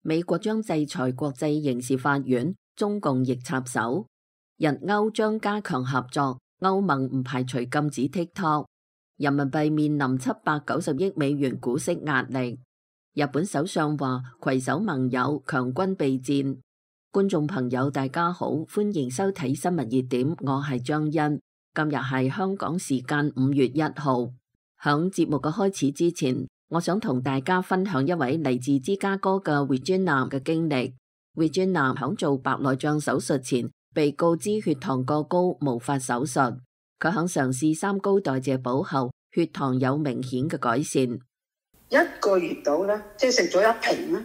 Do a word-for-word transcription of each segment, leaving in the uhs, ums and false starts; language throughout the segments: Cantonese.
美國將制裁國際刑事法院，中共亦插手。日歐將加強合作，歐盟唔排除禁止 TikTok。人民幣面臨七百九十億美元股息壓力。日本首相話攜手盟友強軍備戰。觀眾朋友大家好，歡迎收睇新聞熱點，我係張欣。今日係香港時間五月一號。響節目嘅開始之前，我想同大家分享一位嚟自芝加哥嘅 Regina 嘅經歷。Regina 響做白內障手術前，被告知血糖過高，無法手術。佢響嘗試三高代謝補後，血糖有明顯嘅改善。一個月到咧，即係食咗一瓶咧，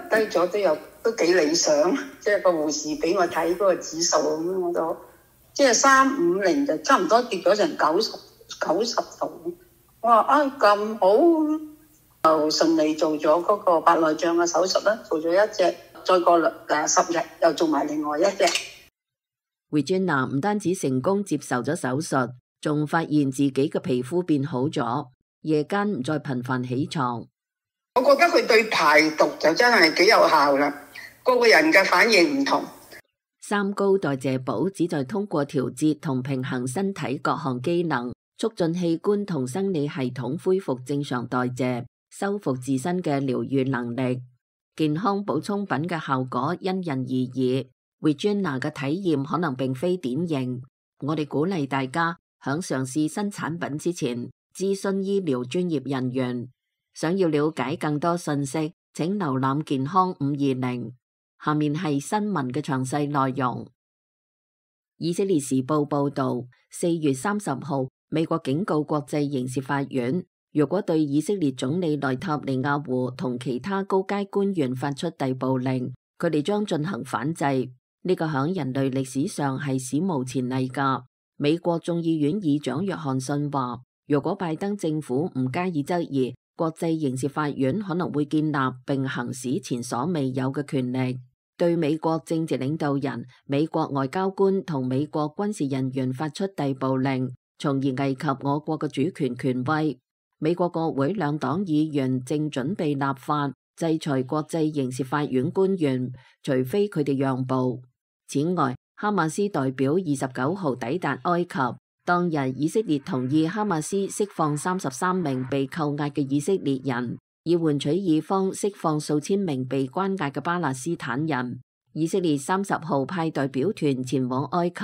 低咗都有都幾理想。即係個護士俾我睇嗰個指數咁，我都即係三五零就差唔多跌咗成九十九十度。我話啊咁好，就順利做咗嗰個白內障嘅手術啦，做咗一隻，再過兩誒十日又做埋另外一隻。Regina 唔單止成功接受咗手術，仲發現自己嘅皮膚變好咗，夜間唔再頻繁起床。我覺得佢對排毒就真係幾有效啦，個個人嘅反應唔同。三高代謝補旨在通過調節同平衡身體各項機能，促進器官同生理系統恢復正常代謝，修復自身嘅療癒能力。健康補充品嘅效果因人而異。Regina 嘅體驗可能並非典型，我哋鼓勵大家響嘗試新產品之前諮詢醫療專業人員。想要了解更多信息，請瀏覽健康五二零。下面係新聞嘅詳細內容。以色列時報報道，四月三十號，美國警告國際刑事法院，如果對以色列總理內塔尼亞胡同其他高階官員發出逮捕令，佢哋將進行反制。呢個響人類歷史上係史無前例噶。美國眾議院議長約翰遜話，如果拜登政府唔加以質疑，國際刑事法院可能會建立並行使前所未有嘅權力，對美國政治領導人、美國外交官同美國軍事人員發出逮捕令，從而危及我國嘅主權權威。美國國會兩黨議員正準備立法制裁國際刑事法院官員，除非佢哋讓步。此外，哈馬斯代表二十九號抵達埃及，當日以色列同意哈馬斯釋放三十三名被扣押嘅以色列人，以換取以方釋放數千名被關押嘅巴勒斯坦人。以色列三十號派代表團前往埃及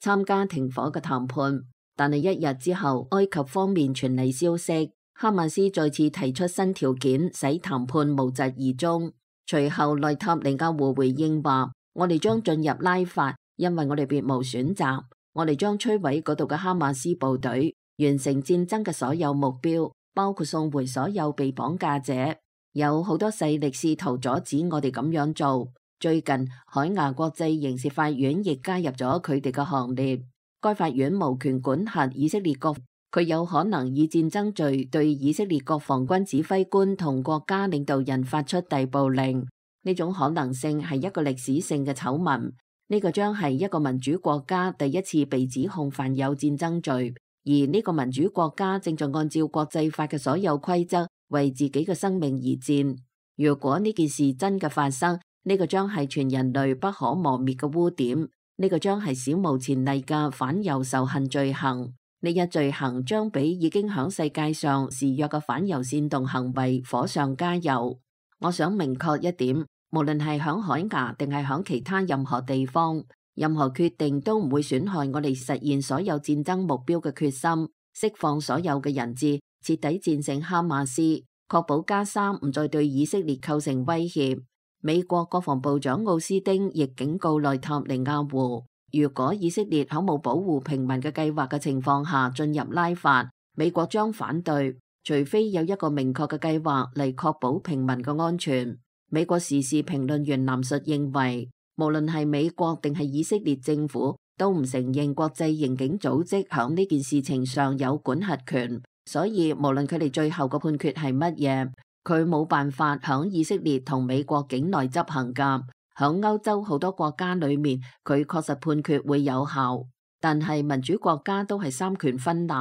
參加停火嘅談判，但係一日之後，埃及方面傳嚟消息，哈馬斯再次提出新條件，使談判無疾而終。隨後內塔尼亞胡回應話，我哋將進入拉法，因為我哋別無選擇。我哋將摧毀嗰度嘅哈馬斯部隊，完成戰爭嘅所有目標，包括送回所有被綁架者。有好多勢力試圖阻止我哋咁樣做。最近，海牙國際刑事法院亦加入咗佢哋嘅行列。該法院無權管轄以色列國，佢有可能以戰爭罪對以色列國防軍指揮官同國家領導人發出逮捕令。呢種可能性係一個歷史性嘅醜聞，呢個將係一個民主國家第一次被指控犯有戰爭罪，而呢個民主國家正在按照國際法嘅所有規則為自己嘅生命而戰。如果呢件事真嘅發生，呢個將係全人類不可磨滅嘅污點，呢個將係史無前例嘅反猶仇恨罪行。呢一罪行將比已經響世界上肆虐嘅反猶煽動行為火上加油。我想明確一點，無論係響海牙定係響其他任何地方，任何決定都唔會損害我哋實現所有戰爭目標嘅決心，釋放所有嘅人質，徹底戰勝哈馬斯，確保加沙唔再對以色列構成威脅。美國國防部長奧斯丁亦警告內塔尼亞胡，如果以色列喺冇保護平民嘅計劃嘅情況下進入拉法，美國將反對，除非有一個明確嘅計劃嚟確保平民嘅安全。美國時事評論員藍述認為，無論係美國定係以色列政府，都唔承認國際刑警組織響呢件事情上有管轄權，所以無論佢哋最後嘅判決係乜嘢，佢冇辦法響以色列同美國境內執行㗎。響歐洲好多國家裏面，佢確實判決會有效，但係民主國家都係三權分立，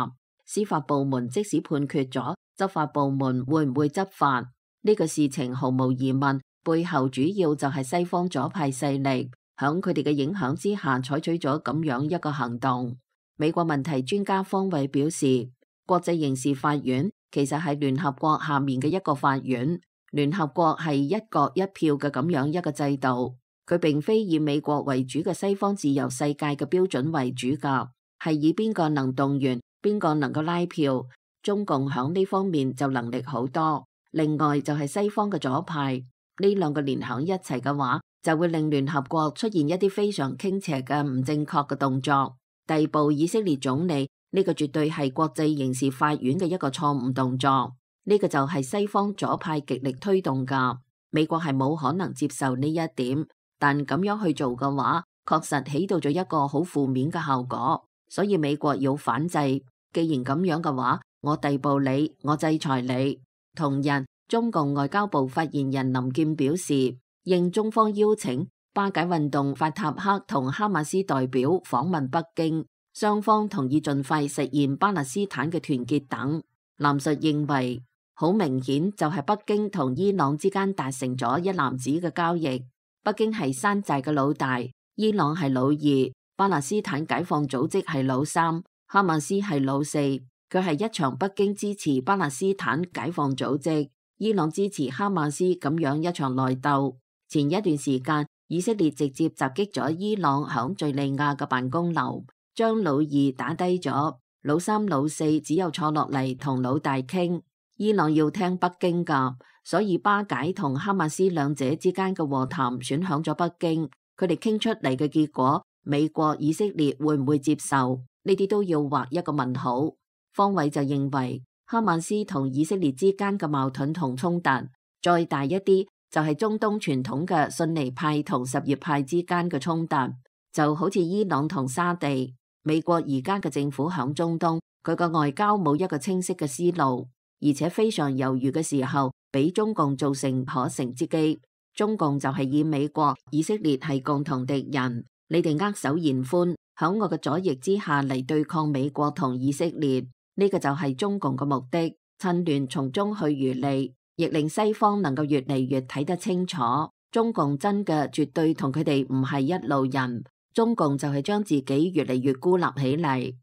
司法部門即使判決咗，執法部門會唔會執法？呢個事情毫無疑問背後主要就係西方左派勢力響佢哋嘅影響之下採取咗咁樣一個行動。美國問題專家方偉表示，國際刑事法院其實係聯合國下面嘅一個法院，聯合國係一國一票嘅咁樣一個制度，佢並非以美國為主嘅西方自由世界嘅標準為主㗎，係以邊個能動員，邊個能夠拉票。中共響呢方面就能力好多，另外就係西方嘅左派，呢兩個連響一齊嘅話，就會令聯合國出現一啲非常傾斜嘅唔正確嘅動作，逮捕以色列總理，呢個絕對係國際刑事法院嘅一個錯誤動作，呢個就係西方左派極力推動㗎，美國係冇可能接受呢一點，但咁樣去做嘅話，確實起到咗一個好負面嘅效果，所以美國要反制。既然咁樣嘅話，我逮捕你，我制裁你。同日，中共外交部發言人林健表示，應中方邀請，巴解運動法塔赫同哈馬斯代表訪問北京，雙方同意盡快實現巴勒斯坦嘅團結等。林述認為，好明顯就係北京同伊朗之間達成咗一籃子嘅交易。北京係山寨嘅老大，伊朗係老二，巴勒斯坦解放組織係老三，哈馬斯係老四。佢係一場北京支持巴勒斯坦解放組織，伊朗支持哈馬斯咁樣一場內鬥。前一段時間，以色列直接襲擊咗伊朗響敘利亞嘅辦公樓，將老二打低咗，老三老四只有坐落嚟同老大傾。伊朗要聽北京㗎，所以巴解同哈馬斯兩者之間嘅和談選響咗北京。佢哋傾出嚟嘅結果，美國、以色列會唔會接受？呢啲都要畫一個問號。方偉就認為，哈馬斯同以色列之間嘅矛盾同衝突，再大一啲就係中東傳統嘅遜尼派同什葉派之間嘅衝突，就好似伊朗同沙地。美國而家嘅政府響中東，佢個外交冇一個清晰嘅思路，而且非常猶豫嘅時候，俾中共造成可乘之機。中共就係以美國、以色列係共同敵人，你哋握手言歡，響我嘅左翼之下嚟對抗美國同以色列。呢個就係中共嘅目的，趁亂從中去漁利，亦令西方能夠越嚟越睇得清楚，中共真嘅絕對同佢哋唔係一路人，中共就係將自己越嚟越孤立起嚟。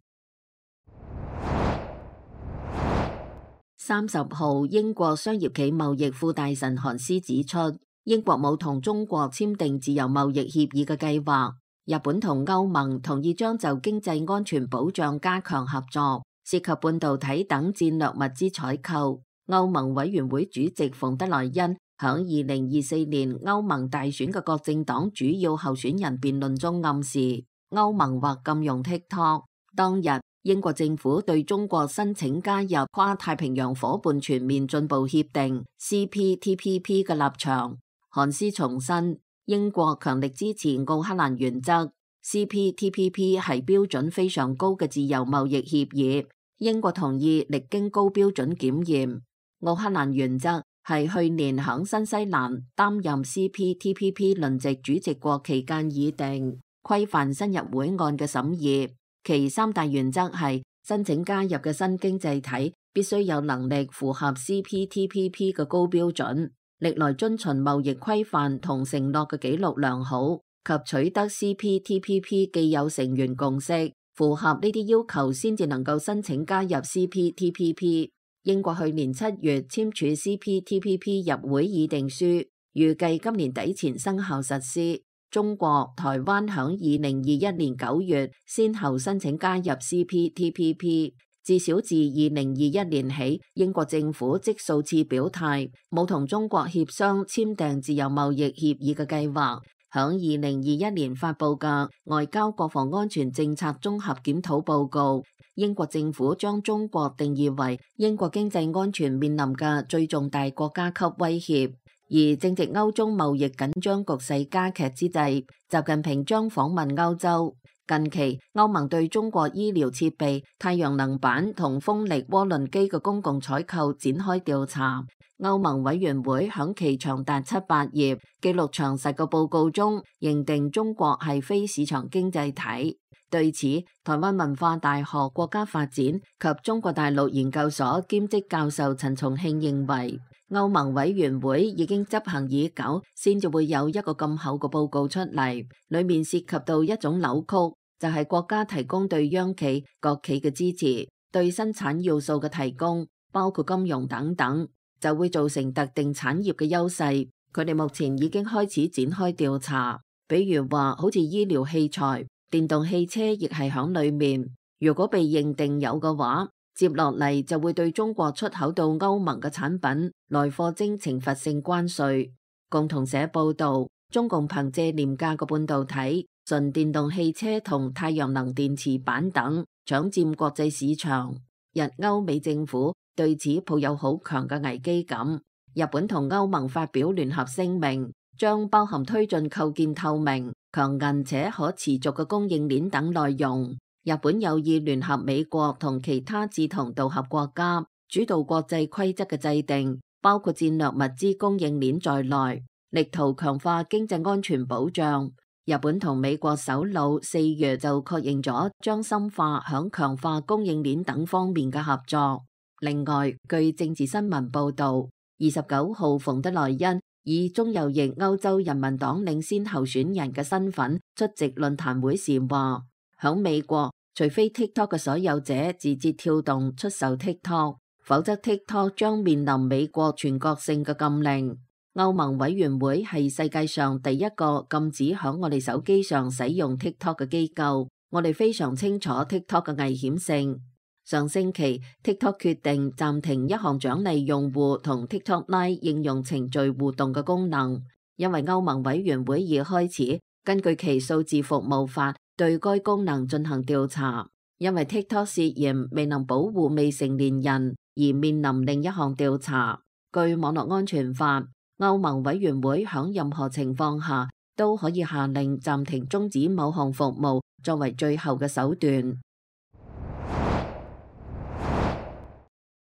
三十號，英國商業暨貿易副大臣韓斯指出，英國冇同中國簽訂自由貿易協議嘅計劃。日本同歐盟同意將就經濟安全保障加強合作，涉及半導體等戰略物資採購。歐盟委員會主席馮德萊恩響二零二四年歐盟大選嘅各政黨主要候選人辯論中暗示，歐盟或禁用 TikTok。當日，英國政府對中國申請加入跨太平洋夥伴全面進步協定 C P T P P 嘅立場。韓斯重申，英國強力支持奧克蘭原則 ，C P T P P 係標準非常高嘅自由貿易協議。英國同意歷經高標準檢驗。奧克蘭原則係去年響新西蘭擔任 C P T P P 輪值主席國期間議定，規範新入會案嘅審議。其三大原則係申請加入嘅新經濟體必須有能力符合 C P T P P 嘅高標準，歷來遵循貿易規範同承諾嘅紀錄良好，及取得 C P T P P 既有成員共識。符合呢啲要求先至能夠申請加入 C P T P P。英國去年七月簽署 C P T P P 入會議定書，預計今年底前生效實施。中國、台灣響二零二一年九月先後申請加入 C P T P P。至少自二零二一年起，英國政府即數次表態冇同中國協商簽訂自由貿易協議嘅計劃。響二零二一年發佈嘅外交國防安全政策綜合檢討報告，英國政府將中國定義為英國經濟安全面臨嘅最重大國家級威脅。而正值歐中貿易緊張局勢加劇之際，習近平將訪問歐洲。近期，歐盟對中國醫療設備、太陽能板同風力渦輪機嘅公共採購展開調查。歐盟委員會響其長達七百頁、記錄詳實嘅報告中，認定中國係非市場經濟體。對此，台灣文化大學國家發展及中國大陸研究所兼職教授陳松慶認為，歐盟委員會已經執行已久，先至會有一個咁厚嘅報告出嚟，裡面涉及到一種扭曲，就係國家提供對央企、國企嘅支持，對生產要素嘅提供，包括金融等等，就會造成特定產業嘅優勢。佢哋目前已經開始展開調查，比如話好似醫療器材、電動汽車亦係響裡面。如果被認定有嘅話，接落嚟就會對中國出口到歐盟嘅產品來課徵懲罰性關稅。共同社報導，中共憑借廉價嘅半導體、純電動汽車同太陽能電池板等搶佔國際市場。日歐美政府對此抱有好強嘅危機感。日本同歐盟發表聯合聲明，將包含推進構建透明、強韌且可持續嘅供應鏈等內容。日本有意聯合美國同其他志同道合國家，主導國際規則嘅制定，包括戰略物資供應鏈在內，力圖強化經濟安全保障。日本同美國首腦四月就確認咗將深化響強化供應鏈等方面嘅合作。另外，據政治新聞報導，二十九號馮德萊恩以中右翼歐洲人民黨領先候選人嘅身份出席論壇會時話，響美國，除非 TikTok 嘅所有者字節跳動出售 TikTok， 否則 TikTok 將面臨美國全國性嘅禁令。歐盟委員會係世界上第一個禁止響我哋手機上使用 TikTok 嘅機構，我哋非常清楚 TikTok 嘅危險性。上星期 TikTok 決定暫停一項獎勵用戶同 TikTok Lite 應用程序互動嘅功能，因為歐盟委員會已開始根據其數字服務法對該功能進行調查，因為 TikTok 涉嫌未能保護未成年人而面臨另一項調查。據網絡安全法，歐盟委員會響任何情況下都可以下令暫停終止某項服務作為最後嘅手段。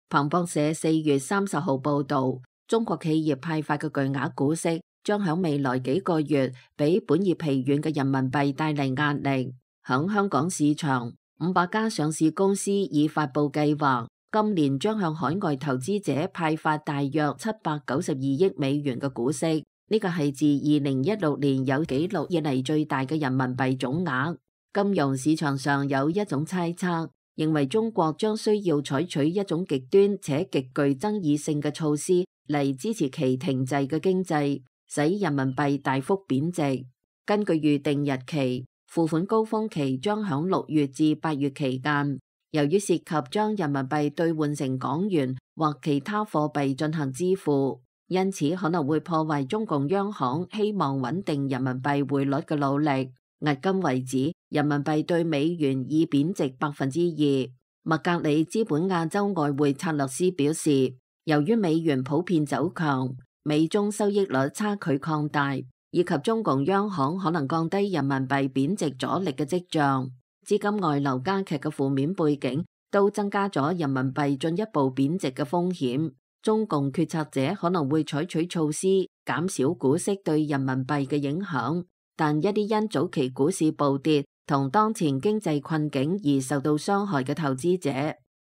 彭博社四月三十號報導，中國企業派發嘅巨額股息將響未來幾個月俾本業疲軟嘅人民幣帶嚟壓力。響香港市場，五百家上市公司已發佈計劃，今年將向海外投資者派發大約七百九十二億美元嘅股息，呢個係自二零一六年有紀錄以嚟最大嘅人民幣總額。金融市場上有一種猜測，認為中國將需要採取一種極端且極具爭議性嘅措施嚟支持其停滯嘅經濟，使人民幣大幅貶值。根據預定日期，付款高峰期將響六月至八月期間。由於涉及將人民幣兌換成港元或其他貨幣進行支付，因此可能會破壞中共央行希望穩定人民幣匯率嘅努力。迄今為止，人民幣對美元已貶值百分之二。麥格里資本亞洲外匯策略師表示，由於美元普遍走強，美中收益率差距擴大，以及中共央行可能降低人民幣貶值阻力嘅跡象，資金外流加劇嘅負面背景，都增加咗人民幣進一步貶值嘅風險。中共決策者可能會採取措施減少股息對人民幣嘅影響，但一啲因早期股市暴跌同當前經濟困境而受到傷害嘅投資者，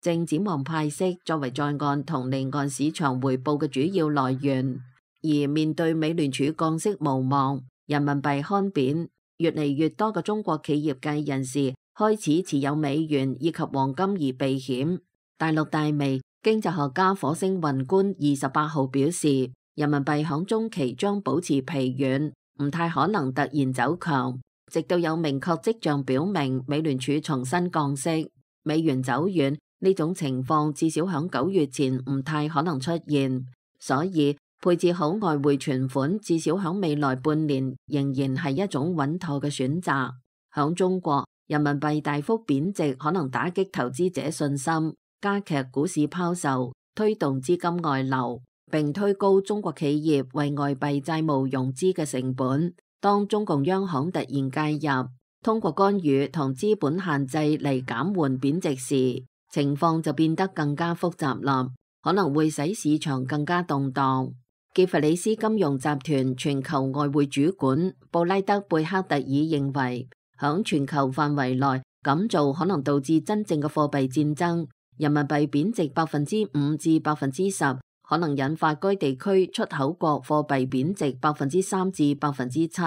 正展望派息作為在岸同離岸市場回報嘅主要來源。而面對美聯儲降息無望，人民幣看貶，越嚟越多嘅中國企業界人士開始持有美元以及黃金而避險。大陸大微經濟學家火星宏觀二十八號表示，人民幣響中期將保持疲軟，唔太可能突然走強，直到有明確跡象表明美聯儲重新降息。美元走軟呢種情況至少響九月前唔太可能出現，所以配置好外匯存款至少響未來半年仍然係一種穩妥嘅選擇。響中國，人民幣大幅貶值可能打擊投資者信心，加劇股市拋售，推動資金外流，並推高中國企業為外幣債務融資嘅成本。當中共央行突然介入，通過干預同資本限制嚟減緩貶值時，情況就變得更加複雜啦，可能會使市場更加動盪。傑弗里斯金融集團全球外匯主管布拉德貝克特爾認為，響全球範圍內咁做可能導致真正嘅貨幣戰爭，人民幣貶值百分之五至百分之十，可能引發該地區出口國貨幣貶值百分之三至百分之七。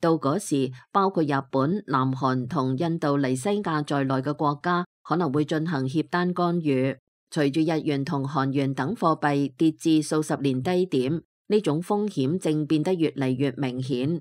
到嗰時，包括日本、南韓同印度尼西亞在內嘅國家可能會進行協單干預。隨住日元同韓元等貨幣跌至數十年低點，呢種風險正變得越嚟越明顯。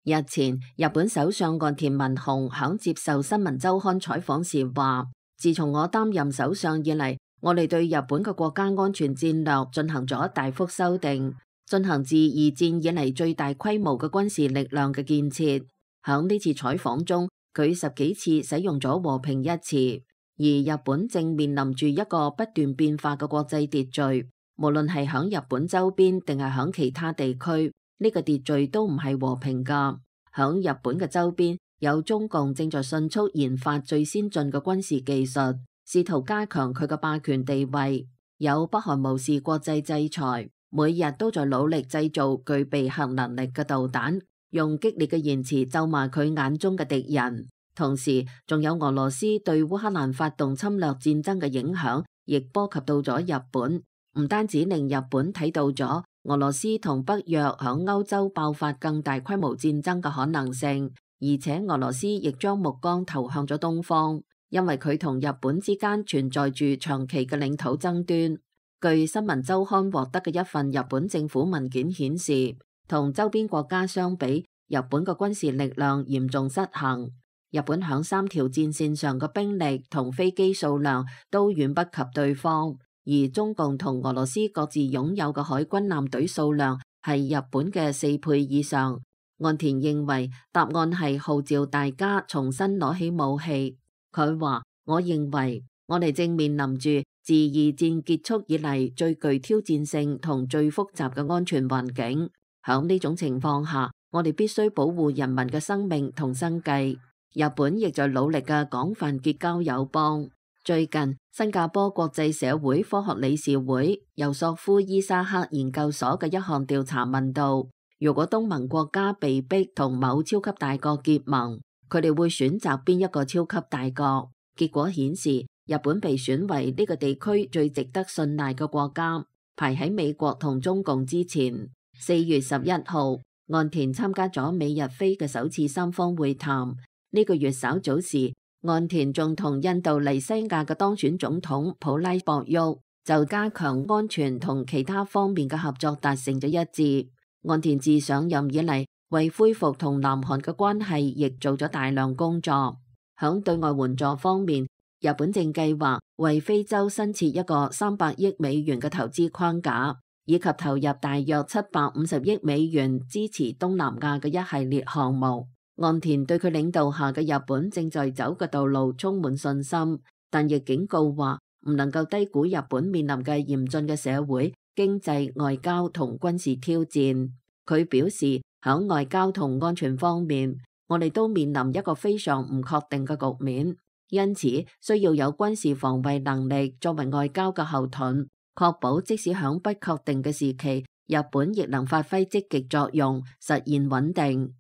日前，日本首相岸田文雄響接受新聞週刊採訪時話，自從我擔任首相以嚟，我哋對日本嘅國家安全戰略進行咗大幅修訂，進行自二戰以嚟最大規模嘅軍事力量嘅建設。響呢次採訪中，佢十幾次使用咗和平一詞，而日本正面臨住一個不斷變化嘅國際秩序，無論係響日本周邊定係響其他地區。呢個秩序都唔係和平㗎。響日本嘅周邊，有中共正在迅速研發最先進嘅軍事技術，試圖加強佢嘅霸權地位。有北韓無視國際制裁，每日都在努力製造具備核能力嘅導彈，用激烈嘅言辭咒罵佢眼中嘅敵人。同時，仲有俄羅斯對烏克蘭發動侵略戰爭嘅影響，亦波及到咗日本。唔單止令日本睇到咗俄羅斯同北約響歐洲爆發更大規模戰爭嘅可能性，而且俄羅斯亦將目光投向咗東方，因為佢同日本之間存在住長期嘅領土爭端。據新聞週刊獲得嘅一份日本政府文件顯示，同周邊國家相比，日本嘅軍事力量嚴重失衡。日本響三條戰線上嘅兵力同飛機數量都遠不及對方。而中共同俄羅斯各自擁有嘅海軍艦隊數量係日本嘅四倍以上。岸田認為答案係號召大家重新攞起武器。佢話：我認為我哋正面臨住自二戰結束以嚟最具挑戰性同最複雜嘅安全環境。響呢種情況下，我哋必須保護人民嘅生命同生計。日本亦在努力嘅廣泛結交友邦。最近，新加坡國際社會科學理事會尤索夫伊沙克研究所嘅一項調查問到，如果東盟國家被逼同某超級大國結盟，佢哋會選擇邊一個超級大國？結果顯示，日本被選為呢個地區最值得信賴嘅國家，排喺美國同中共之前。四月十一號，岸田參加咗美日菲嘅首次三方會談。呢個月稍早時，岸田仲同印度尼西亞嘅當選總統普拉博沃就加強安全同其他方面嘅合作達成咗一致。岸田自上任以嚟，為恢復同南韓嘅關係，亦做咗大量工作。響對外援助方面，日本正計劃為非洲新設一個三百億美元嘅投資框架，以及投入大約七百五十億美元支持東南亞嘅一系列項目。岸田對佢領導下嘅日本正在走嘅道路充滿信心，但亦警告話唔能夠低估日本面臨嘅嚴峻嘅社會、經濟、外交同軍事挑戰。佢表示，響外交同安全方面，我哋都面臨一個非常唔確定嘅局面，因此需要有軍事防衛能力作為外交嘅後盾，確保即使響不確定嘅時期，日本亦能發揮積極作用，實現穩定。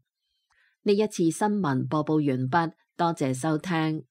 呢一次新聞播報完畢，多謝收聽。